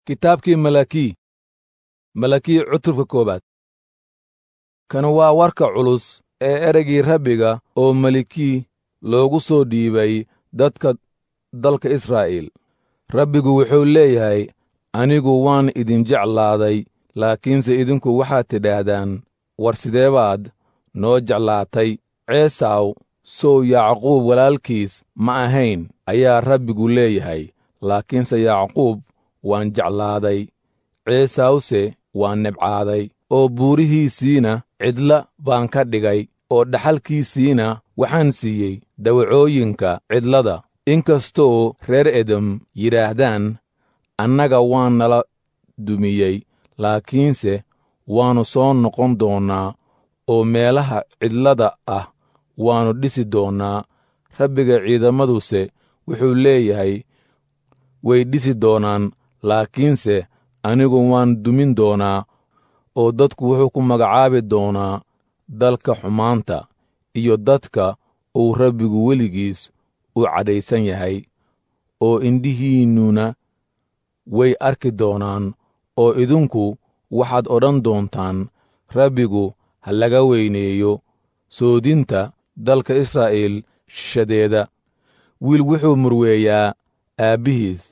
Kitaabkii Malakii, Malakii cutubka koowaad. Kan waa warka culus ee ereygii Rabbiga oo Malakii loogu soo dhiibay dadka dalka Israa'iil. Rabbigu wuxuu leeyahay, anigu waan idin jeclaaday, laakiinse idinku waxaad tidhaahdaan, war sidee baad noo jeclaatay? Ceesaw sow Yacquub walaalkiis ma ahayn, ayaa Rabbigu leeyahay, laakiinse Yacquub waan jeclaaday, Ceesawse waan nibcaaday, oo buurihiisiina cidla baan ka dhigay, oo dhaxalkiisiina waxaan siiyey dawacooyinka cidlada. Inkastoo reer Edom yidhaahdaan, annaga waa nala dumiyey, laakiinse waannu soo noqon doonnaa oo meelaha cidlada ah waannu dhisi doonnaa. Rabbiga ciidamaduse wuxuu leeyahay, way dhisi doonaan, laakiinse anigu waan dumin doonaa, oo dadku wuxuu ku magacaabi doonaa dalka xumaanta iyo dadka uu Rabbigu weligiis u cadhaysan yahay, oo indhihiinnuna way arki doonaan, oo idinku waxaad odhan doontaan, Rabbigu ha laga weyneeyo soodinta dalka Israa'iil shishadeeda. Wiil wuxuu murweeyaa aabbihiis,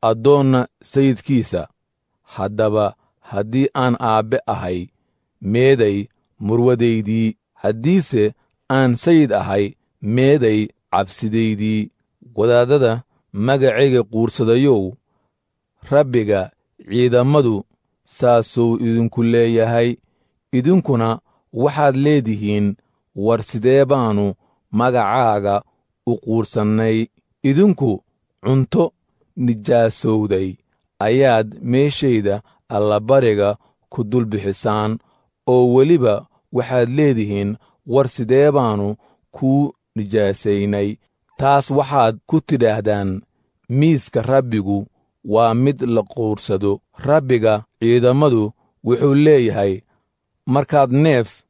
addoonna sayidkiisa. Haddaba haddii aan aabbe ahay, meeday murwadaydii? Haddiise aan sayid ahay, meeday cabsidaydii? Wadaaddada magacayga quursadayow, Rabbiga ciidammadu saasuu idinku leeyahay. Idinkuna waxaad leedihiin, war sidee baannu magacaaga u quursannay? Idinku cunto nijaasowday ayaad meeshayda allabariga ku dul bixisaan, oo weliba waxaad leedihiin, war sidee baannu kuu nijaasaynay? Taas waxaad ku tidhaahdaan, miiska Rabbigu waa mid la quursado. Rabbiga ciidammadu wuxuu leeyahay, markaad neef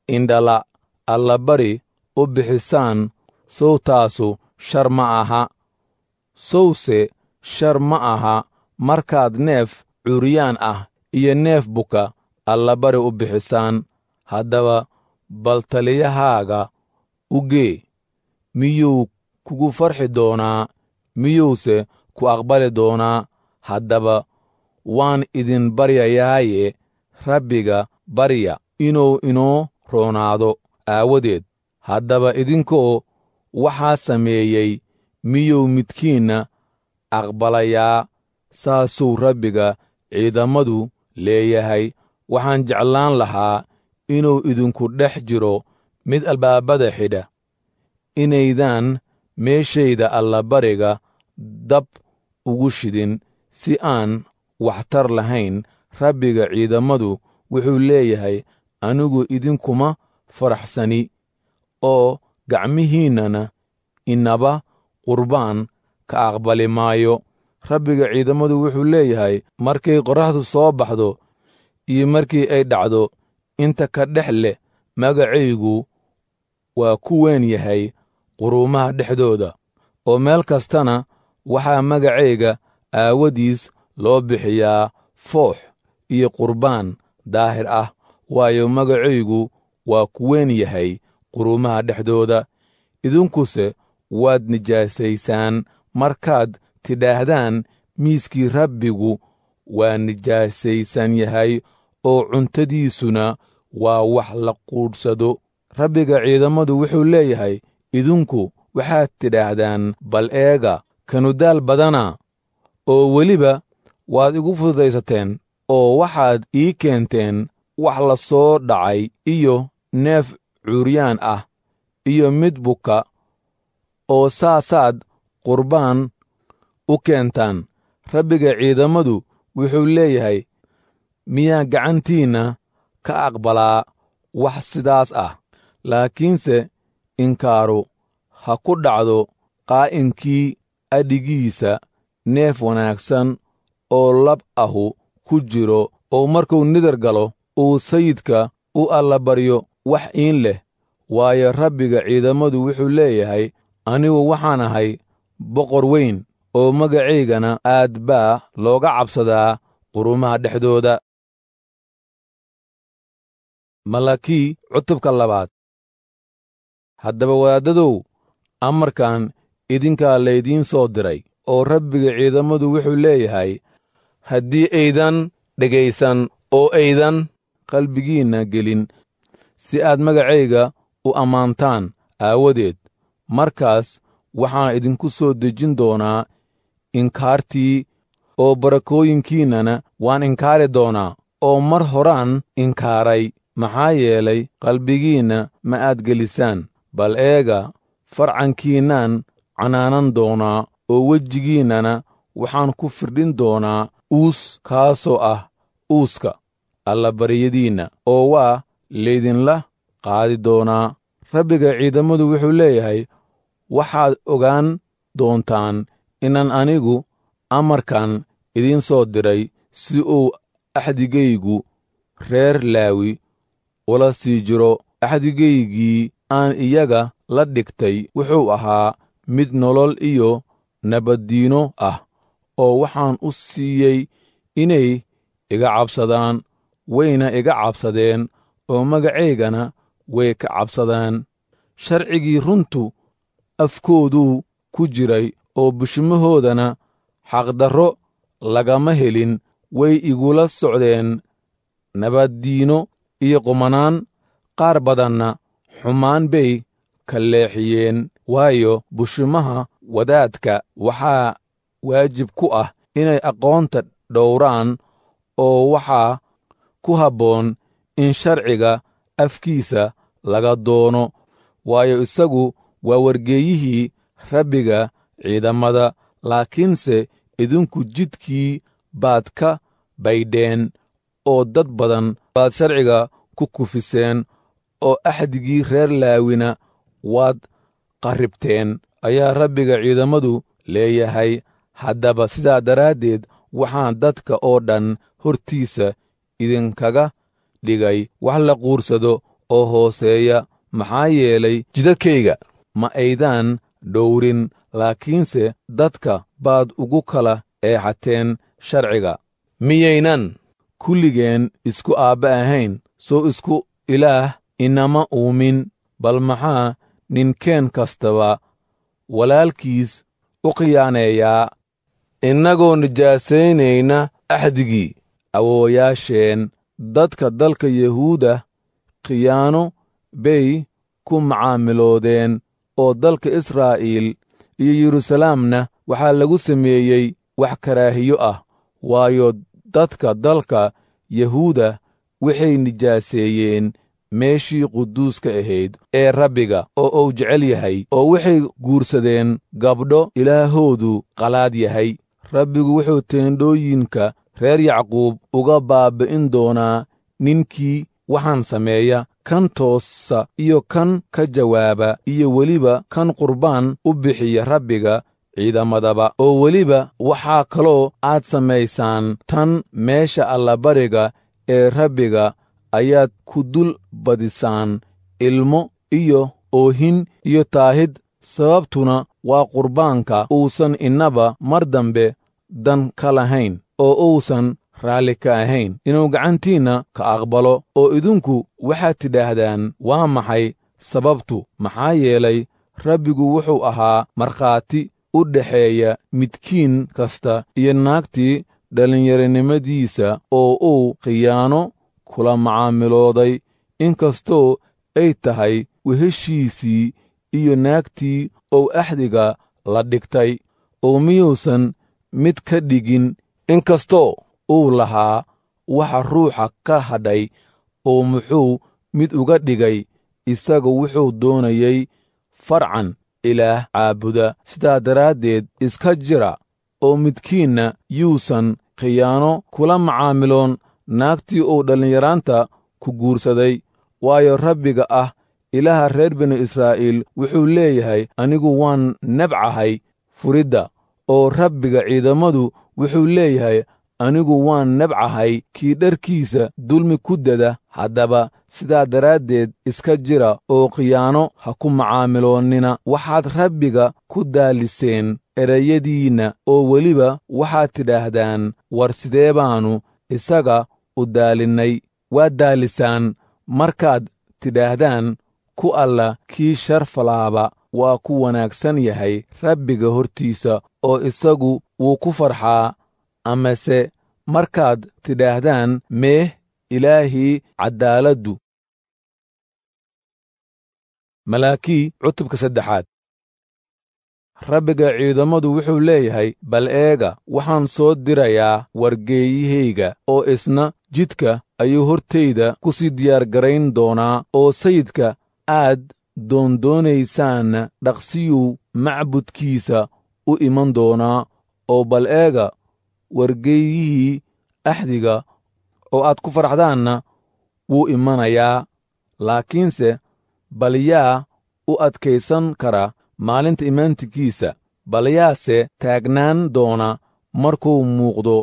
indhala allabari u bixisaan, sow taasu shar ma aha? Sowse shar ma aha markaad neef curyaan ah iyo neef buka allabari u bixisaan? Haddaba bal taliyahaaga u gee, miyuu kugu farxi doonaa? Miyuuse ku aqbali doonaa? Haddaba waan idin baryayaaye, Rabbiga barya inuu inoo roonaado aawadeed. Haddaba idinkoo waxaa sameeyey, miyuu midkiinna aqbalayaa? Saasuu Rabbiga ciidammadu leeyahay. Waxaan jeclaan lahaa inuu idinku dhex jiro mid albaabada xidha, inaydaan meeshayda allabariga dab ugu shidin si aan waxtar lahayn. Rabbiga ciidammadu wuxuu leeyahay, anigu idinkuma faraxsani, oo gacmihiinnana inaba qurbaan ka aqbali maayo. Rabbiga ciidammadu wuxuu leeyahay, markay qorraxdu soo baxdo iyo markii ay dhacdo, inta ka dhex leh magacaygu waa ku weyn yahay quruumaha dhexdooda, oo meel kastana waxaa magacayga aawadiis loo bixiyaa foox iyo qurbaan daahir ah, waayo magacaygu waa ku weyn yahay quruumaha dhexdooda. Idinkuse waad nijaasaysaan markaad tidhaahdaan, miiskii Rabbigu waa nijaasaysan yahay, oo cuntadiisuna waa wax la quudhsado. Rabbiga ciidammadu wuxuu leeyahay, idinku waxaad tidhaahdaan, bal eega, kanu daal badana, oo weliba waad igu fududaysateen, oo waxaad ii keenteen wax la soo dhacay iyo neef curyaan ah iyo mid buka, oo saasaad qurbaan u keentaan. Rabbiga ciidammadu wuxuu leeyahay, miyaa gacantiinna ka aqbalaa wax sidaas ah? Laakiinse inkaaru ha ku dhacdo qaa'inkii adhigiisa neef wanaagsan oo lab ahu ku jiro, oo markuu nidar galo uu sayidka u allabaryo wax iin leh. Waayo, Rabbiga ciidammadu wuxuu leeyahay, anigu waxaan ahay boqor weyn oo magacaygana aad baa looga cabsadaa qurumaha dhexdooda. Malakii cutubka labaad. Haddaba wadaaddadow, amarkan idinkaa laydiin soo diray, oo Rabbiga ciidammadu wuxuu leeyahay: haddii aydan dhegaysan oo aydan qalbigiinna gelin si aad magacayga u ammaantaan aawadeed, markaas waxaan idinku soo dejin doonaa inkaartii, oo barakooyinkiinnana waan inkaari doonaa, oo mar horaan inkaaray, maxaa yeelay qalbigiinna ma aad gelisaan. Bal eega, farcankiinnaan canaanan doonaa, oo wejigiinnana waxaan ku firdhin doonaa uus, kaasoo ah uuska allabaryadiinna, oo waa laydinla qaadi doonaa. Rabbiga ciidammadu wuxuu leeyahay: waxaad ogaan doontaan inaan anigu amarkan idiin soo diray si uu axdigaygu reer Laawi ula sii jiro. Axdigaygii aan iyaga la dhigtay wuxuu ahaa mid nolol iyo nabaddiino ah, oo waxaan u siiyey inay iga cabsadaan, wayna iga cabsadeen, oo magacaygana way ka cabsadaan. Sharcigii runtu afkooduu ku jiray, oo bushimahoodana xaqdarro lagama helin. Way igula socdeen nabaddiino iyo qumanaan, qaar badanna xumaan bay ka leexiyeen. Waayo, bushimaha wadaadka waxaa waajib ku ah inay aqoonta dhowraan, oo waxaa ku habboon in sharciga afkiisa laga doono, waayo, isagu waa wargeeyihii Rabbiga ciidammada. Laakiinse idinku jidkii baad ka baydheen, oo dad badan baad sharciga ku kufiseen, oo axdigii reer Laawina waad qarribteen, ayaa Rabbiga ciidammadu leeyahay. Haddaba sidaa daraaddeed waxaan dadka oo dhan hortiisa idinkaga dhigay wax la quursado oo hooseeya, maxaa yeelay jidadkayga ma aydaan dhowrin, laakiinse dadka baad ugu kala eexateen sharciga. Miyaynan kulligeen isku aabba ahayn? Soo isku Ilaah inama uumin? Bal maxaa ninkeen kastaba walaalkiis u khiyaaneeyaa, innagoo nijaasaynayna axdigii awoowayaasheen? Dadka dalka Yahuuda khiyaano bay ku macaamiloodeen, oo dalka Israa'iil iyo Yeruusalaamna waxaa lagu sameeyey wax karaahiyo ah, waayo, dadka dalka Yahuuda waxay nijaaseeyeen meeshii quduuska ahayd ee Rabbiga oo uu jecel yahay, oo waxay guursadeen gabdho ilaahoodu qalaad yahay. Rabbigu wuxuu teendhooyinka reer Yacquub uga baabbi'in doonaa ninkii waxaan sameeya, kan toosa iyo kan ka jawaaba, iyo weliba kan qurbaan u bixiya Rabbiga ciidamadaba. Oo weliba waxaa kaloo aad samaysaan tan: meesha allabariga ee Rabbiga ayaad ku dul badisaan ilmo iyo oohin iyo taahid, sababtuna waa qurbaanka uusan innaba mar dambe dan ka lahayn, oo uusan raalli ka ahayn inuu gacantiinna ka aqbalo. Oo idinku waxaad tidhaahdaan, waa maxay sababtu? Maxaa yeelay Rabbigu wuxuu ahaa markhaati u dhexeeya midkiin kasta iyo naagtii dhallinyaronimadiisa oo uu khiyaano kula macaamilooday, inkastoo ay tahay weheshiisii iyo naagtii ou axdiga la dhigtay, oo miyuusan mid ka dhigin, inkastoo uu lahaa waxa ruuxa ka hadhay? Oo muxuu mid uga dhigay? Isagu wuxuu doonayey farcan Ilaah caabuda. Sidaa daraaddeed iska jira, oo midkiinna yuusan khiyaano kula macaamiloon naagtii uu dhallinyaraanta ku guursaday. Waayo, Rabbiga ah Ilaaha reer binu Israa'iil wuxuu leeyahay: anigu waan nabcahay furidda. Oo Rabbiga ciidammadu wuxuu leeyahay: anigu waan nabcahay kii dharkiisa dulmi ku dada. Haddaba Sidaa daraaddeed iska jira oo khiyaano ha ku macaamiloonnina. Waxaad Rabbiga ku daaliseen erayadiinna, oo weliba waxaad tidhaahdaan, war sidee baannu isaga u daalinnay? Waad daalisaan markaad tidhaahdaan, ku alla kii sharfalaaba waa ku wanaagsan yahay Rabbiga hortiisa, oo isagu wuu ku farxaa. Amase markaad tidhaahdaan, meeh Ilaahii caddaaladdu. Malaakii cutubka saddexaad. Rabbiga ciidammadu wuxuu leeyahay, bal eega, waxaan soo dirayaa wargeeyahayga, oo isna jidka ayuu hortayda ku sii diyaargarayn doonaa, oo sayidka aad doondoonaysaanna dhaqsiyuu macbudkiisa u iman doonaa. Oo bal eega, wargeeyihii axdiga oo aad ku faraxdaanna wuu imanayaa. Laakiinse bal yaa u adkaysan kara maalinta imaantinkiisa? Bal yaase taagnaan doona markuu muuqdo?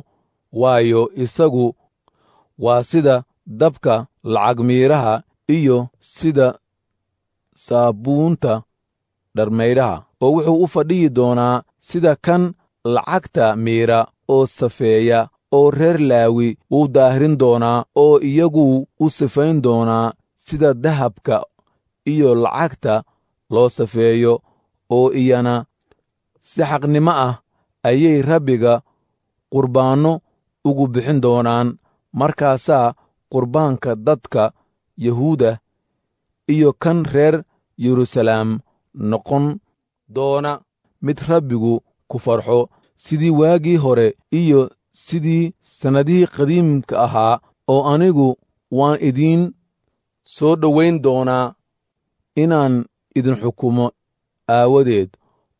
Waayo, isagu waa sida dabka lacag miiraha iyo sida saabuunta dharmaydhaha, oo wuxuu u fadhiyi doonaa sida kan lacagta miira oo safeeya, oo reer Laawi wuu daahirin doonaa, oo iyaguu u sifayn doonaa sida dahabka iyo lacagta loo safeeyo, oo iyana si xaqnimo ah ayay Rabbiga qurbaanno ugu bixin doonaan. Markaasaa qurbaanka dadka Yahuuda iyo kan reer Yeruusalaam noqon doona mid Rabbigu ku farxo, sidii waagii hore iyo sidii sannadihii qadiimka ahaa. Oo anigu waan idiin soo dhowayn doonaa inaan idin xukumo aawadeed,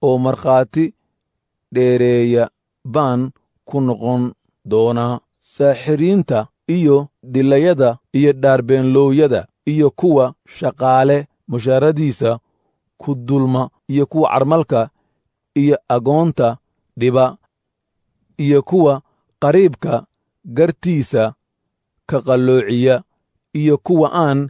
oo markhaati dheereeya baan ku noqon doonaa saaxiriinta iyo dhilayada iyo dhaarbeenloowyada iyo kuwa shaqaale mushaaradiisa ku dulma iyo kuwa carmalka iyo agoonta dhiba iyo kuwa qariibka gartiisa ka qalloociya iyo kuwa aan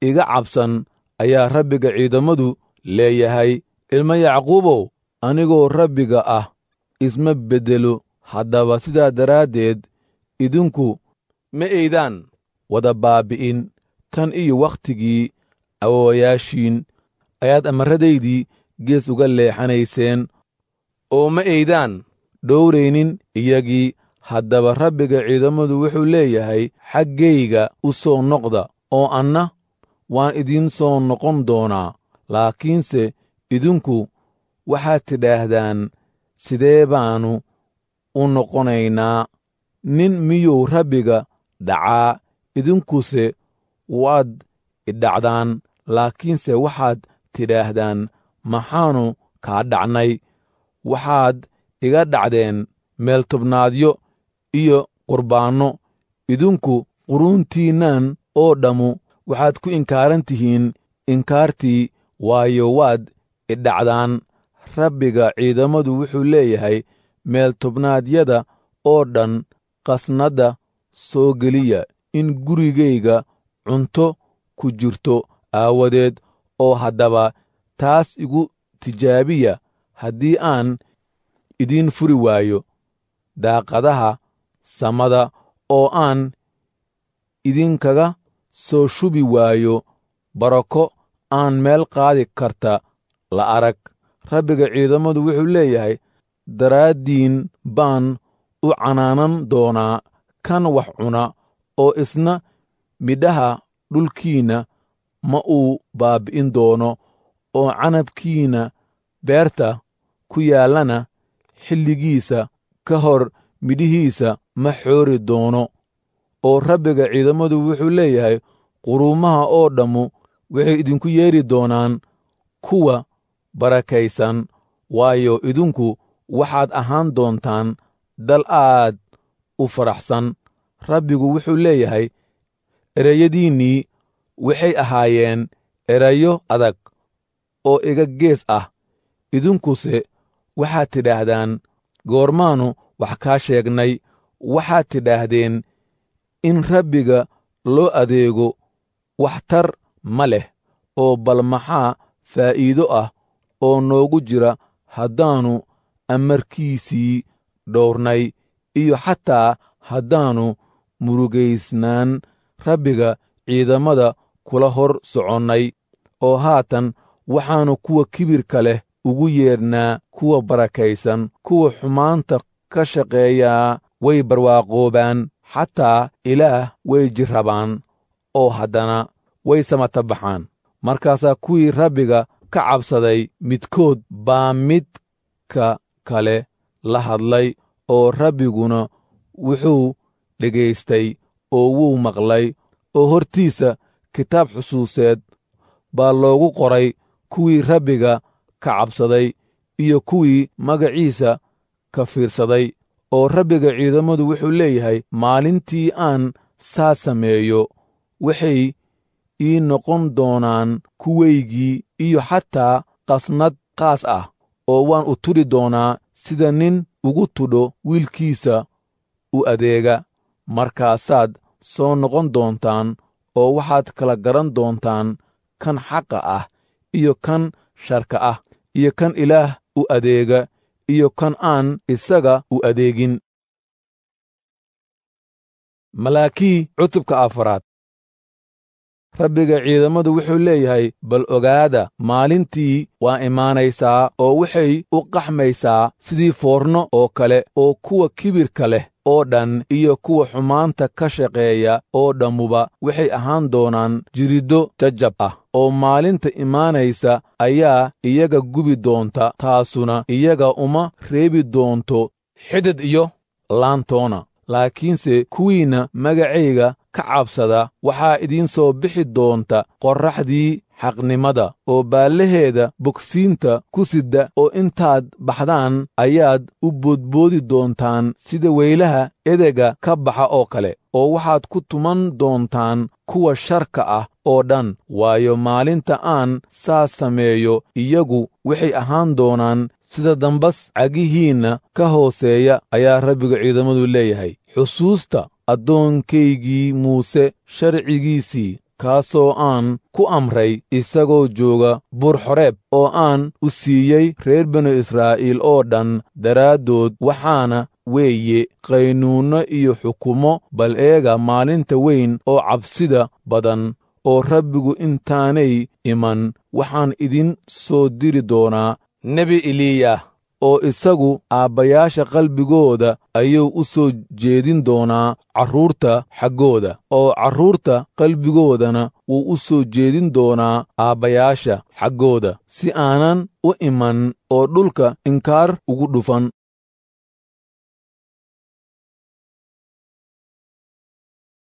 iga cabsan, ayaa Rabbiga ciidammadu leeyahay. Ilmo Yacquubow, anigoo Rabbiga ah isma beddelo. Haddaba sidaa daraaddeed idinku ma aydaan wada baabbi'in. Tan iyo wakhtigii awoowayaashiin ayaad amarradaydii gees uga leexanayseen, oo ma aydaan dhowraynin iyagii. Haddaba Rabbiga ciidammadu wuxuu leeyahay, xaggayga u soo noqda, oo anna waan idiin soo noqon doonaa. Laakiinse idinku waxaad tidhaahdaan, sidee baannu u noqonaynaa? Nin miyuu Rabbiga dhacaa? Idinkuse waad idhacdaan. Laakiinse waxaad tidhaahdaan, maxaannu kaa dhacnay? Waxaad iga dhacdeen meeltobnaadyo iyo qurbaanno. Idinku quruuntiinnan oo dhammu waxaad ku inkaaran tihiin inkaartii, waayo, waad idhacdaan. Rabbiga ciidammadu wuxuu leeyahay, meeltobnaadyada oo dhan qasnadda soo geliya, in gurigayga cunto ku jirto aawadeed. Oo haddaba taas igu tijaabiya, haddii aan idiin furi waayo daaqadaha samada, oo aan idinkaga soo shubi waayo barako aan meel qaadi karta la arag. Rabbiga ciidammadu wuxuu leeyahay, daraaddiin baan u canaanan doonaa kan wax cuna, oo isna midhaha dhulkiinna ma uu baabbi'in doono, oo canabkiinna beerta ku yaallana xilligiisa ka hor midhihiisa ma xoori doono. Oo Rabbiga ciidammadu wuxuu leeyahay, quruumaha oo dhammu waxay idinku yeedhi doonaan kuwa barakaysan, waayo, idinku waxaad ahaan doontaan dal aad u faraxsan. Rabbigu wuxuu leeyahay, ereyadiinnii waxay ahaayeen erayo adag oo iga gees ah. Idinkuse waxaad tidhaahdaan, goormaannu wax kaa sheegnay? Waxaad tidhaahdeen, in Rabbiga loo adeego Waxtar ma leh. Oo bal maxaa faa'iido ah oo noogu jira haddaannu amarkiisii dhowrnay, iyo xataa haddaannu murugaysnaan Rabbiga ciidammada kula hor soconnay? Oo haatan waxaannu kuwa kibirka leh ugu yeedhnaa kuwa barakaysan. Kuwa xumaanta ka shaqeeyaa way barwaaqoobaan, xataa Ilaah way jirrabaan oo haddana way samatabaxaan. Markaasaa kuwii Rabbiga ka cabsaday midkood baa midka kale la hadlay, oo Rabbiguna wuxuu dhegaystay oo wuu maqlay, oo hortiisa kitaab xusuuseed baa loogu qoray kuwii Rabbiga ka cabsaday iyo kuwii magaciisa ka fiirsaday. Oo Rabbiga ciidammadu wuxuu leeyahay, maalintii aan saa sameeyo waxay ii noqon doonaan kuwaygii iyo xataa qasnad qaas ah, oo waan u tudhi doonaa sida nin ugu tudho wiilkiisa u adeega. Markaasaad soo noqon doontaan oo waxaad kala garan doontaan kan xaqa ah iyo kan sharka ah, iyo kan Ilaah u adeega iyo kan aan isaga u adeegin. Malaakii cutubka afaraad. Rabbiga ciidammadu wuxuu leeyahay, bal ogaada, maalintii waa imaanaysaa oo waxay u qaxmaysaa sidii foorno oo kale, oo kuwa kibirka leh oo dhan iyo kuwa xumaanta ka shaqeeya oo dhammuba waxay ahaan doonaan jiriddo jajab ah, oo maalinta imaanaysa ayaa iyaga gubi doonta, taasuna iyaga uma reebi doonto xidid iyo laantoona. Laakiinse kuwiinna magacayga ka cabsada waxaa idiin soo bixi doonta qorraxdii xaqnimada oo baallaheeda bogsiinta ku sidda, oo intaad baxdaan ayaad u boodboodi doontaan sida weylaha edega ka baxa oo kale, oo waxaad ku tuman doontaan kuwa sharka ah oo dhan. Waayo, maalinta aan saas sameeyo iyagu waxay ahaan doonaan sida dambas cagihiinna ka hooseeya, ayaa Rabbiga ciidammadu leeyahay. Xusuusta addoonkaygii Muuse sharcigiisii, kaasoo aan ku amray isagoo jooga Buur Xoreeb, oo aan u siiyey reer binu Israa'iil oo dhan daraaddood, waxaana weeye qaynuunno iyo xukumo. Bal eega, maalinta weyn oo cabsida badan oo Rabbigu intaanay iman, waxaan idin soo diri doonaa nebi Eliyah, oo isagu aabbayaasha qalbigooda ayuu u soo jeedin doonaa carruurta xaggooda, oo carruurta qalbigoodana wuu u soo jeedin doonaa aabbayaasha xaggooda, si aanan u iman oo dhulka inkaar ugu dhufan.